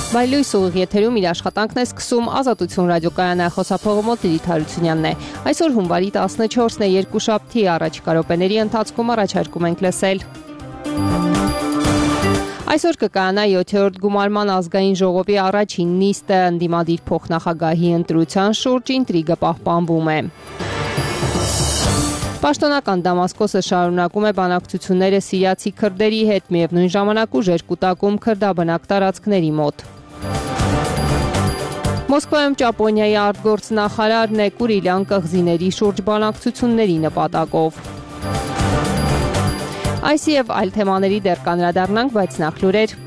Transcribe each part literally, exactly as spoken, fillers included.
Բայլույս ուղիղ եթերում իր աշխատանքն է սկսում Ազատություն ռադիոկայանի խոսափողը մոտ Լիլիթ Հարությունյանն է։ Այսօր հունվարի տասնչորսն է, երկուշաբթի առաջիկա րոպեների ընթացքում առաջարկում ենք լսել։ Այսօր կկայանա յոթերորդ գումարման ազգային ժողովի առաջին նիստը, ընդդիմադիր փոխնախագահի ընտրության շուրջ ինտրիգը պահպանվում է։ Պաշտոնական Դամասկոսը շարունակում է բանակցությունները սիրիացի քրդերի հետ, միևնույն ժամանակ ուժեր կուտակում քրդաբնակ տարածքների մոտ։ Մոսկվայում Ճապոնիայի արտգործնախարարն է Կուրիլյան կղզիների շուրջ բանակցությունների նպատակով։ Այս եւ այլ թեմաների դեռ կանդրադառնանք, բայց նախ լուրեր։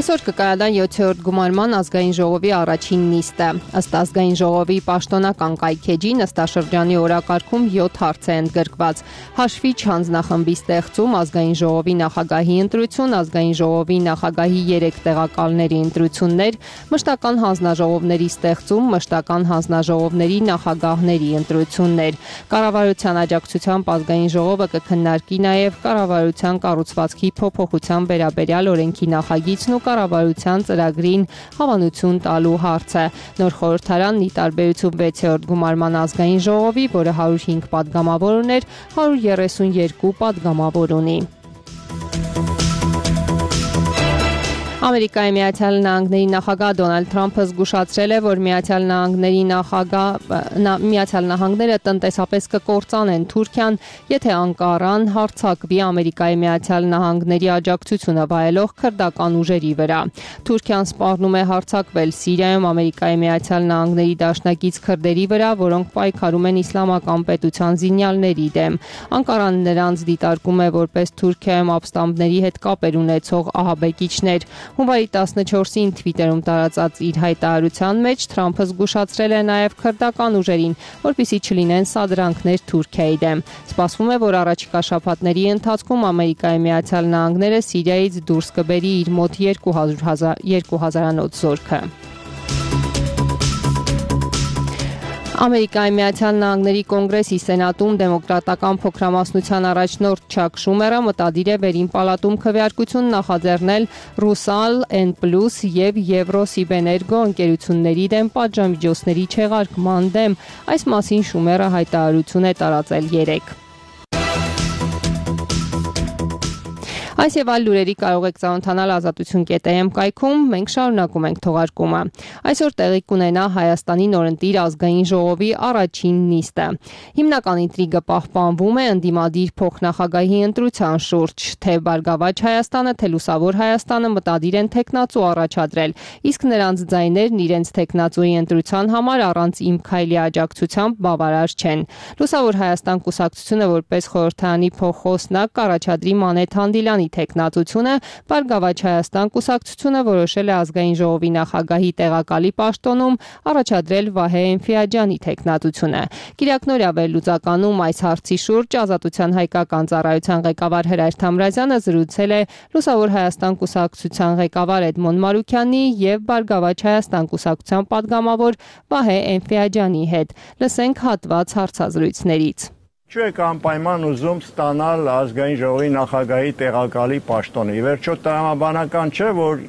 Այսօր կկայանա յոթերորդ գումարման ազգային ժողովի առաջին նիստը։ Ըստ ազգային ժողովի պաշտոնական կայքեջի նստաշրջանի օրակարգում յոթ հարց է ընդգրկված։ Հաշվիչ հանձնախմբի ստեղծում, ազգային ժողովի նախագահի ընտրություն, ազգային ժողովի նախագահի երեք տեղակալների ընտրություններ, մշտական հանձնաժողովների ստեղծում, մշտական հանձնաժողովների նախագահների ընտրություններ։ Կառավարության աջակցությամբ ազգային ժողովը կքննարկի նաև կառավարության կառուցվածքի փոփոխության վերաբերյալ օրենքի նախագիծն ու կառավարության ծրագրին հավանություն տալու հարցը։ Նոր խորհրդարանն ի տարբերություն վեցերորդ գումարման ազգային ժողովի, որը հարյուր հինգ պատգամավոր ուներ, հարյուր երեսունյոթ պատգամավոր ունի։ Ամերիկայի Միացյալ Նահանգների նախագահ Դոնալդ Թրամփը զգուշացրել է, որ Միացյալ Նահանգների նախագահ Միացյալ Նահանգները տնտեսապես կկործանեն Թուրքիան, եթե Անկարան հարձակվի Ամերիկայի Միացյալ Նահանգների աջակցությունը վայելող քրդական ուժերի վրա։ Թուրքիան սպառնում է հարձակվել Սիրիայում Ամերիկայի Միացյալ Նահանգների դաշնակից քրդերի վրա, որոնք պայքարում են իսլամական պետության զինյալների դեմ։ Անկարան նրանց դիտարկում է որպես Թուրքիայում ապստամբների հետ կապեր ունեցող ահաբեկիչներ։ Հունվարի տասնչորսին Թվիտերում տարածած իր հայտարարության մեջ Թրամփը զգուշացրել է նաև քրդական ուժերին, որպեսզի չլինեն սադրանքներ Թուրքիայի դեմ։ Սպասվում է, որ առաջիկա շաբաթների ընթացքում Ամերիկայի Միացյալ Նահանգները Սիրիայից դուրս կբերի իր մոտ երկու հազարանոց զորքը։ Ամերիկայի Միացյալ Նահանգների կոնգրեսի սենատում դեմոկրատական փոքրամասնության առաջնորդ Չակ Շումերը մտադիր է վերին պալատում քվեարկություն նախաձեռնել Ռուսալ, N Plus եւ Եվրոսիբեներգո ընկերությունների դեմ պատժամիջոցների չեղարկման դեմ։ Այս մասին Շումերը հայտարարություն է տարածել երեկ։ Այս եւ այլ լուրերի կարող եք ծանոթանալ ազատություն կետ am կայքում, մենք շարունակում ենք թողարկումը։ Այսօր տեղի կունենա Հայաստանի նորընտիր ազգային ժողովի առաջին նիստը։ Հիմնական ինտրիգը պահպանվում է ընդդիմադիր փոխնախագահի ընտրության շուրջ, թե Բարգավաճ Հայաստանը, թե Լուսավոր Հայաստանը մտադիր են թեկնածու առաջադրել, իսկ նրանց ձայներն իրենց թեկնածուի ընտրության համար առանց Իմ քայլի աջակցությամբ բավարար չեն։ Լուսավոր Հայաստան կուսակցությունը որպես խորհրդարանի փոխոսնակ կառաջադրի Մանեթ Հանդիլյանի թեկնածությունը, Բարգավաճ Հայաստան կուսակցությունը որոշել է ազգային ժողովի նախագահի տեղակալի պաշտոնում առաջադրել Վահե Էնֆիաջյանի թեկնածությունը։ Կիրակնօրյա վերլուծականում այս հարցի շուրջ Ազատության հայկական ծառայության ղեկավար Հրայր Թամրազյանը զրուցել է Լուսավոր Հայաստան կուսակցության ղեկավար Էդմոն Մարուքյանի եւ Բարգավաճ Հայաստան կուսակցության պատգամավոր Վահե Էնֆիաջյանի հետ։ Լսենք հատված հարցազրույցներից։ Ինչու եք անպայման ուզում ստանալ ազգային ժողովի նախագահի տեղակալի պաշտոնը։ Ի վերջո տրամաբանական չէ, որ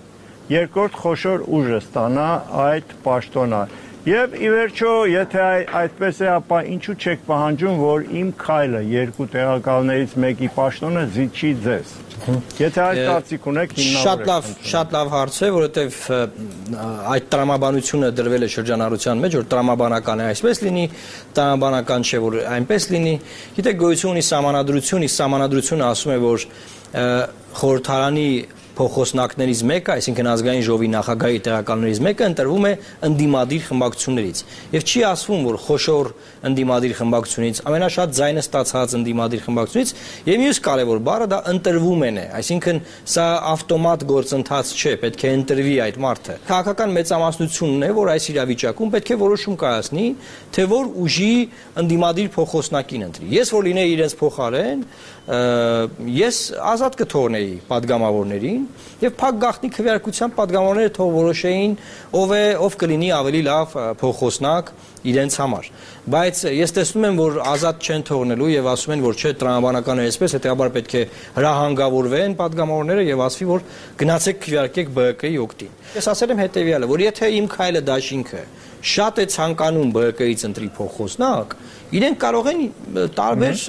երկրորդ խոշոր ուժը ստանա այդ պաշտոնը։ Եվ ի վերջո, եթե այդպես է, ապա ինչու չեք պահանջում, որ Իմ քայլը երկու տեղակալներից մեկի պաշտոնը զիջի ձեզ։ Եթե այդ կարծիք ունեք, Շատ լավ, շատ լավ հարց է, որովհետև այդ տրամաբանությունը դրվել է շրջանառության մեջ, որ տրամաբանական է այսպես լինի, տրամաբանական չէ, որ այնպես լինի։ Գիտեք, գոյություն ունի սահմանադրություն, իսկ սահմանադրությունը ասում է, որ խորհրդարանի փոխոսնակներից մեկը, այսինքն ազգային ժողովի նախագահի տեղակալներից մեկը ընտրվում է ընդդիմադիր խմբակցություններից։ Եվ չի ասվում, որ խոշոր ընդդիմադիր խմբակցությունից, ամենաշատ ձայնը ստացած ընդդիմադիր խմբակցությունից, եւ մյուս կարևոր բառը դա ընտրվում են է, այսինքն սա ավտոմատ գործընթաց չէ, պետք է ընտրվի այդ մարդը։ Քաղաքական մեծամասնությունն է, որ այս իրավիճակում պետք է որոշում կայացնի, թե որ ուժի ընդդիմադիր փոխոսնակին ընտրի։ Ես որ լինեի իրենց փոխարեն, ես ազատ կթողնեի պատգամավորներին եւ փակ գաղտնի քվեարկության պատգամավորները թող որոշեին ով է ով կլինի ավելի լավ փոխոսնակ իրենց համար, բայց ես տեսնում եմ, որ ազատ չեն թողնելու եւ ասում են, որ չէ, տրամաբանականը այսպես, հետեւաբար պետք է հրահանգավորվեն падգամավորները եւ ասվի, որ գնացեք քվեարկեք B K-ի օգտին։ Ես ասել եմ հետեւյալը, որ եթե իմ քայլը դաշինքը շատ է ցանկանում B K-ից ընտրի փոխոսնակ, իրենք կարող են տարբեր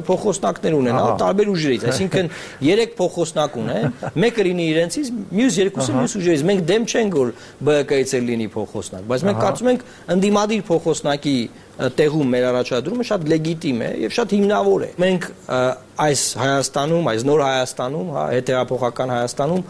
փոխոսնակներ ունենալ, տարբեր ուժերից, այսինքն երեք փոխոսնակ ունեն, մեկը լինի իրենցից, մյուս երկուսը մյուս ուժերից։ Մենք դեմ չենք, որ B K-ից էլ լինի փոխոսնակ, բայց մենք կարծում ենք ընդդիմադիր փոխոսնակի տեղում մեր առաջադրումը շատ լեգիտիմ է եւ շատ հիմնավոր է։ Մենք այս Հայաստանում, այս նոր Հայաստանում, հա, հետեւափոխական Հայաստանում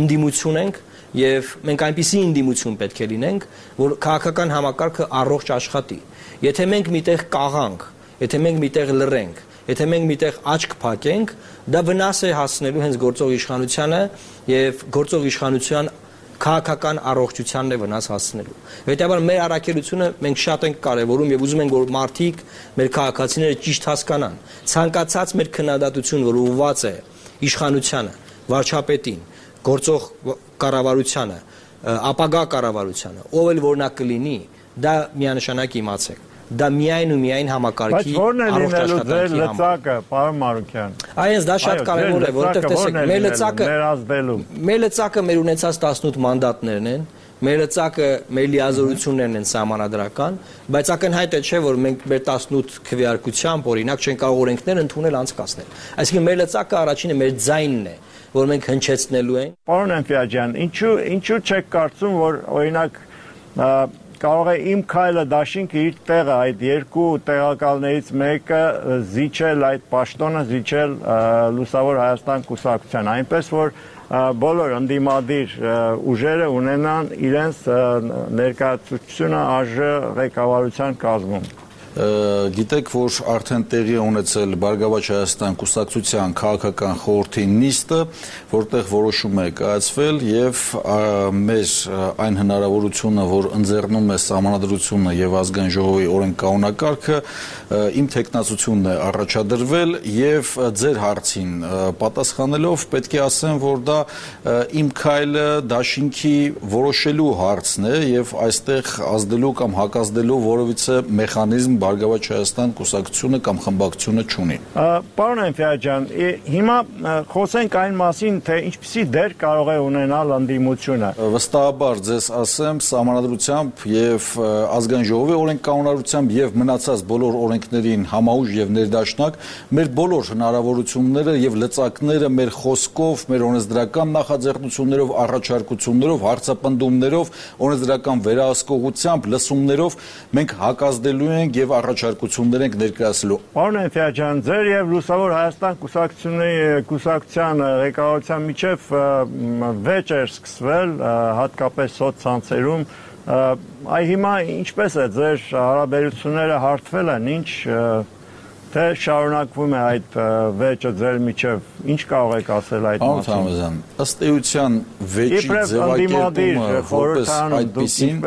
ընդդիմություն ենք եւ մենք այնպիսի ընդդիմություն պետք է լինենք, որ քաղաքական համակարգը առողջ աշխատի։ Եթե մենք միտեղ կաղանք, եթե մենք միտեղ լռենք, եթե մենք միտեղ աչք փակենք, դա վնաս է հասնելու հենց գործող իշխանությանը եւ գործող իշխանության քաղաքական առողջությանն է վնաս հասնելու։ Հետեւաբար մեր առաքելությունը մենք շատ ենք կարևորում եւ ուզում ենք, որ մարդիկ, մեր քաղաքացիները ճիշտ հասկանան։ Ցանկացած մեր քննադատություն, որ ուղղված է իշխանությանը, վարչապետին, գործող կառավարությանը, ապագա կառավարությանը, ով էլ որ նա կլինի, դա միանշանակ իմացեք։ Դա միայն ու միայն համակարգի առողջ աշխատանքի լծակը, պարոն Մարուկյան։ Այս դա շատ կարևոր է, որովհետև տեսեք, մեր լծակը մեր լծակը մեր ունեցած տասնութ մանդատներն են, մեր լծակը մեր լիազորություններն են սահմանադրական, բայց ակնհայտ է չէ, որ մենք մեր տասնութ քվեարկությամբ օրինակ չենք կարող օրենքներ ընդունել անցկացնել։ Այսինքն մեր լծակը առաջինը մեր ձայնն է, որ մենք հնչեցնելու ենք։ Պարոն Էնֆիաջյան, ինչու ինչու չեք կարծում, որ օրինակ կարող է իմ քայլը դաշինքը իր տեղը այդ երկու տեղակալներից մեկը զիջել այդ պաշտոնը, զիջել Լուսավոր Հայաստան կուսակցության, այնպես որ բոլոր ընդդիմադիր ուժերը ունենան իրենց ներկայացությունը ԱԺ ղեկավարության կազմում։ Գիտեք, որ արդեն տեղի է ունեցել Բարգավաճ Հայաստան կուսակցության քաղաքական խորհրդի նիստը, որտեղ որոշում է կայացվել եւ մեր այն հնարավորությունը, որ ընձեռնում է Սահմանադրությունը եւ Ազգային ժողովի օրենքականոնակարգը, իմ թեկնածությունն է առաջադրվել եւ ձեր հարցին պատասխանելով պետք է ասեմ, որ դա իմ քայլը դաշինքի որոշելու հարցն է եւ այստեղ ազդելու կամ հակազդելու որևիցե մեխանիզմ Բարգավաճ Հայաստան կուսակցությունը կամ խմբակցությունը չունի։ Պարոն Էնֆիաջյան, հիմա խոսենք այն մասին, թե ինչպիսի դեր կարող է ունենալ ընդդիմությունը։ Վստահաբար ձեզ ասեմ, Սահմանադրությամբ եւ Ազգային ժողովի օրենքականությամբ եւ մնացած բոլոր օրենքներին համաուժ եւ ներդաշնակ մեր բոլոր հնարավորությունները եւ լծակները մեր խոսքով, մեր օրենսդրական նախաձեռնություններով, առաջարկություններով, հարցապնդումներով, օրենսդրական վերահսկողությամբ, լսումներով մենք հակազդելու ենք եւ առաջարկություններ ենք ներկայացնելու։ Պարոն Էնֆիաջյան, ձեր եւ Լուսավոր Հայաստան կուսակցությունների կուսակցության ղեկավարության միջև վեճ էր սկսվել, հատկապես սոցցանցերում։ Այ հիմա ինչպես է ձեր հարաբերությունները հարթվել են, ինչ թե շարունակվում է այդ վեճը ձեր միջև, ինչ կարող եք ասել այդ մասին։ Ըստ էության վեճի ձևակերպումը որպես այդպիսին,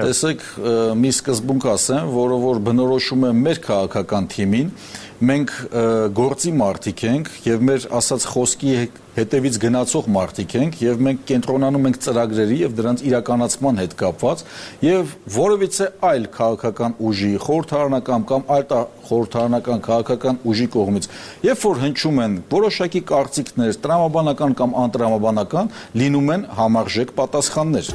տեսեք, մի սկզբունք ասեմ, որը որ բնորոշում է մեր քաղաքական թիմին, մենք գործի մարդիկ ենք եւ մեր ասած խոսքի հետևից գնացող մարդիկ ենք եւ մենք կենտրոնանում ենք ծրագրերի եւ դրանց իրականացման հետ կապված եւ որևիցե այլ քաղաքական ուժի, խորհրդարանական կամ այլ խորհրդարանական քաղաքական ուժի կողմից, երբ որ հնչում են որոշակի կարծիքներ, տրամաբանական կամ անտրամաբանական, լինում են համարժեք պատասխաններ։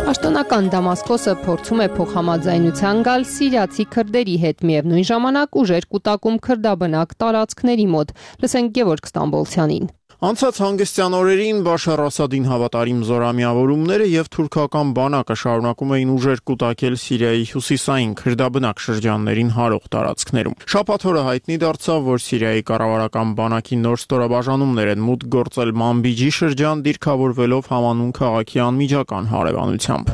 Պաշտոնական Դամասկոսը փորձում է փոխհամաձայնության գալ սիրիացի քրդերի հետ, միևնույն ժամանակ ուժեր կուտակում քրդաբնակ տարածքների մոտ։ Լսենք Գևորգ Ստամբոլցյանին։ Անցած հանգստյան օրերին Բաշար Ասադին հավատարիմ զորամիավորումները եւ թուրքական բանակը շարունակում էին ուժեր կուտակել Սիրիայի հյուսիսային քրդաբնակ շրջաններին հարող տարածքներում։ Շաբաթ օրը հայտնի դարձավ, որ Սիրիայի կառավարական բանակի նոր ստորաբաժանումներ են մուտք գործել Մանբիջի շրջան, դիրքավորվելով համանուն քաղաքի անմիջական հարևանությամբ։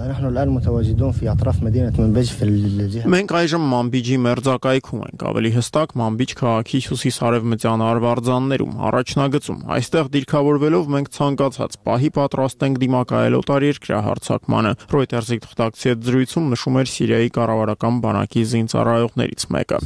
Մենք այժմ Մանբիջի մերձակայքում ենք, ավելի հստակ Մանբիջ քաղաքի հյուսիս-արևմտյան արվարձաններում, առաջնագծում։ Այստեղ Այստեղ դիրքավորվելով մենք ցանկացած պահի պատրաստ ենք դիմակայել օտարերկրյա հարձակմանը։ Reuters-ի թղթակցի հետ զրույցում նշում էր Սիրիայի կառավարական բանակի զինծառայողներից մեկը։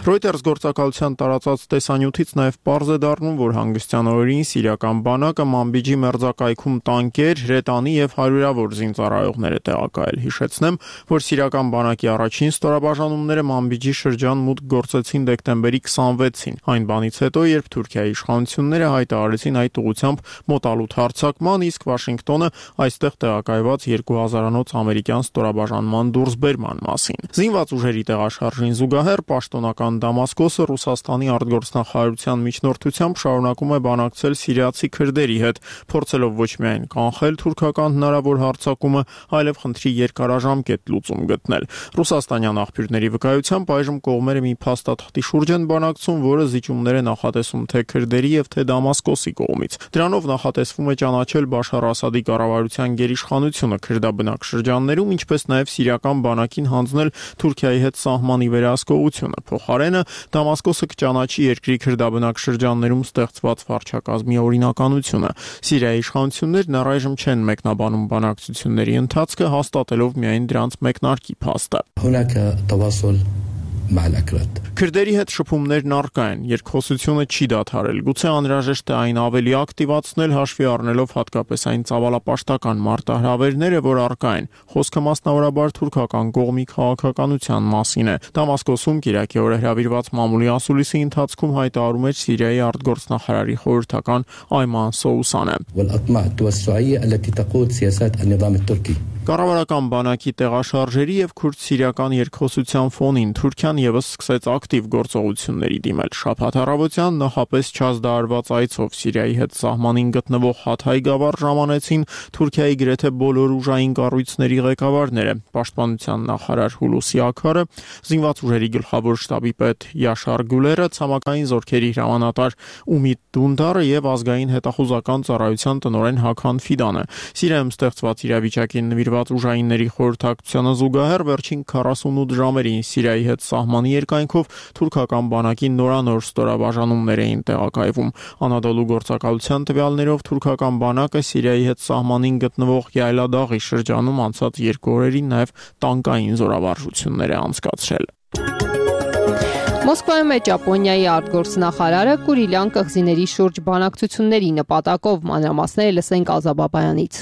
Reuters գործակալության տարածած տեսանյութից նաև պարզ է դառնում, որ հանգստյան օրերին սիրիական բանակը Մանբիջի մերձակայքում տանկեր, հրետանի եւ հարյուրավոր զինծառայողներ է տեղակայել։ Հիշեցնեմ, որ սիրիական բանակի առաջին ստորաբաժանումները Մանբիջի շրջան մուտք գործեցին դեկտեմբերի քսանվեցին։ Այն բանից հետո, երբ Թուրքիայի իշխանությունները հայտարարեցին այդ ուղղությամբ մոտալուտ հարձակման, իսկ Վաշինգտոնը այստեղ տեղակայված երկու հազարանոց ամերիկյան ստորաբաժանման դուրսբերման մասին։ Զինված ուժերի տեղաշարժին զուգահեռ պաշտոնական Դամասկոսը Ռուսաստանի արտգործնախարարության միջնորդությամբ շարունակում է բանակցել սիրիացի քրդերի հետ, փորձելով ոչ միայն կանխել թուրքական հնարավոր հարձակումը, այլև խնդրի երկարաժամկետ լուծում գտնել։ Ռուսաստանյան աղբյուրների վկայությամբ այժմ կողմերը մի փաստաթղթի շուրջ են բանակցում, որը զիջումներ է նախատեսում թե քրդերի եւ թե Դամասկոսի կողմից։ Դրանով նախատեսվում է ճանաչել Բաշար Ասադի կառավարության գերիշխանությունը քրդաբնակ շրջաններում, ինչպես նաև սիրիական բանակին հանձնել Թուրքիայի հետ սահմանի վերահսկողությունը։ Փոխարենը Դամասկոսը կճանաչի երկրի քրդաբնակ շրջաններում ստեղծված վարչակազմի օրինականությունը։ Սիրիայի իշխանություններն առայժմ չեն մեկնաբանում բանակցությունների ընթացքը, հաստատելով միայն դրանց մեկնարկի փաստը։ Քրդերի հետ շփումներն առկա են, երկխոսությունը չի դադարել, գուցե անհրաժեշտ է այն ավելի ակտիվացնել, հաշվի առնելով հատկապես այն ծավալապաշտական մարտահրավերները, որ առկա են։ Խոսքը մասնավորաբար թուրքական կողմի քաղաքականության մասին է։ Դամասկոսում Կիրակի օրը հրավիրված մամուլի ասուլիսի ընթացքում հայտարարում էր Սիրիայի արտգործնախարարի խորհրդական Այման Սոուսանը։ Կառավարական բանակի տեղաշարժերի եւ քուրդ-սիրիական երկխոսության ֆոնին Թուրքիան եւս սկսեց ակտիվ գործողությունների դիմել։ Շաբաթ առավոտյան նախապես չազդարված այցով Սիրիայի հետ սահմանին գտնվող Հաթայ գավառ ժամանեցին Թուրքիայի գրեթե բոլոր ուժային կառույցների ղեկավարները՝ պաշտպանության նախարար Հուլուսի Աքարը, զինված ուժերի գլխավոր շտաբի պետ Յաշար Գուլերը, ցամաքային զորքերի հրամանատար Ումիդ Դունդարը եւ ազգային հետախուզական ծառայության տնօրեն Հական Ֆիդանը։ Սիրիայում ստեղծված իրավիճակին նվիրված ուժայինների խորհրդակցությանը զուգահեռ վերջին քառասունութ ժամերին Սիրիայի հետ սահմանի երկայնքով թուրքական բանակի նորանոր ստորաբաժանումներ էին տեղակայվում։ Անադոլու գործակալության տվյալներով թուրքական բանակը Սիրիայի հետ սահմանին գտնվող Յայլադաղի շրջանում անցած երկու օրերին նաև տանկային զորավարժություններ է անցկացրել։ Մոսկվայում է Ճապոնիայի արտգործնախարարը Կուրիլյան կղզիների շուրջ բանակցությունների նպատակով, մանրամասները լսենք Ազա Բաբայանից։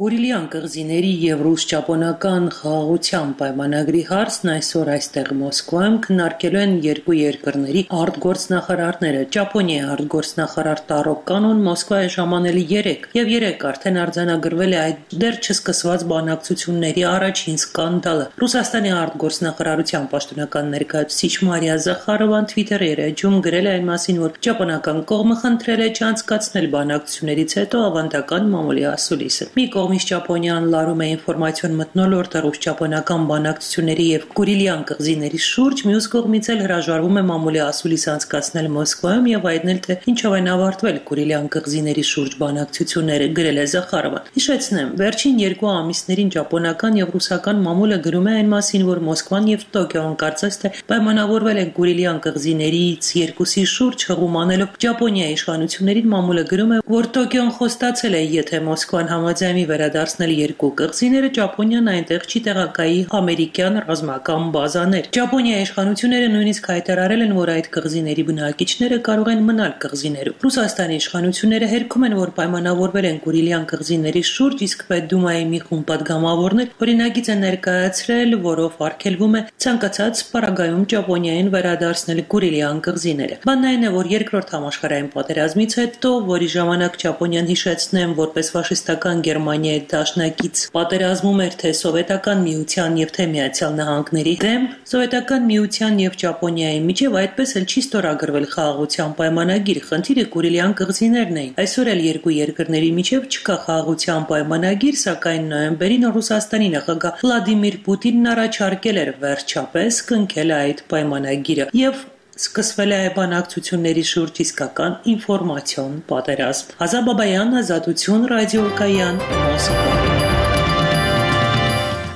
Կուրիլյան կղզիների եւ ռուս-ճապոնական խաղաղության պայմանագրի հարցն այսօր այստեղ Մոսկվայում քննարկելու են երկու երկրների արտգործնախարարները։ Ճապոնիայի արտգործնախարար Տարո Կանոն Մոսկվայ է ժամանել երեկ եւ երեկ արդեն արձանագրվել է այդ դեռ չսկսված բանակցությունների առաջին սկանդալը։ Ռուսաստանի արտգործնախարարության պաշտոնական ներկայացուցիչ Մարիա Զախարովան Twitter-ի էջում գրել է այն մասին, որ ճապոնական կողմը խնդրել է չանցկացնել բանակցություններից հետո ավանդական մամուլի ասուլիսը։ Մի կողմից Ճապոնիան լարում է ինֆորմացիոն մթնոլորտը ռուս-ճապոնական բանակցությունների եւ Կուրիլյան կղզիների շուրջ, մյուս կողմից էլ հրաժարվում է մամուլի ասուլիս անցկացնել Մոսկվայում եւ հայտնել, թե ինչով են ավարտվել Կուրիլյան կղզիների շուրջ բանակցությունները, գրել է Զախարովան։ Հիշեցնեմ, վերջին երկու ամիսներին ճապոնական եւ ռուսական մամուլը գրում է այն մասին, որ Մոսկվան եւ Տոկիոն կարծես թե պայմանավորվել են Կուրիլյան կղզիներից երկուսի շուրջ հղում անելով Ճապոնիայի իշխանություններին։ Մամուլը գրում է, որ Տոկիոն խոստացել է, եթե Մոսկվան համաձայնի վերադարձնել երկու կղզիները, Ճապոնիան այնտեղ չի տեղակայի ամերիկյան ռազմական բազաներ։ Ճապոնիայի իշխանությունները նույնիսկ հայտարարել են, որ այդ կղզիների բնակիչները կարող են մնալ կղզիներում։ Ռուսաստանի իշխանությունները հերքում են, որ պայմանավորվել են Կուրիլյան կղզիների շուրջ, իսկ Պետդումայի մի խումբ պատգամավորներ օրինագիծ են ներկայացրել, որով արգելվում է ցանկացած պարագայում Ճապոնիային վերադարձնել Կուրիլյան կղզիները։ Բանն այն է, որ երկրորդ համաշխարհային պատերազմից հետո, որի ժամանակ Ճապոնիան, հիշեցնեմ, որպես ֆաշիստական Գերմանիայի դաշնակից պատերազմում էր թե Սովետական Միության եւ թե Միացյալ Նահանգների դեմ, Սովետական Միության եւ Ճապոնիայի միջև այդպես էլ չի ստորագրվել խաղաղության պայմանագիր։ Խնդիրը Կուրիլյան կղզիներն էին։ Այսօր էլ երկու երկրների միջև չկա խաղաղության պայմանագիր, սակայն նոյեմբերին Ռուսաստանի նախագահ Վլադիմիր Պուտինն առաջարկել էր վերջապես կնքել այդ պայմանագիրը եւ սկսվել է բանակցությունների շուրջ իսկական ինֆորմացիոն պատերազմ։ Ազա Բաբայան, Ազատություն, Ռադիո Կայան, Մոսկվա։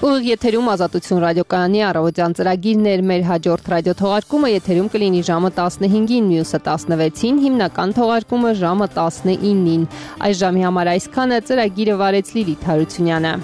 Ուղիղ եթերում Ազատություն ռադիոկայանի առավոտյան ծրագիրն էր, մեր հաջորդ ռադիոթողարկումը եթերում կլինի ժամը տասնհինգին, մյուսը տասնվեցին, հիմնական թողարկումը ժամը տասնինին։ Այս ժամի համար այսքանը, ծրագիրը վարեց Լիլիթ Հարությունյանը։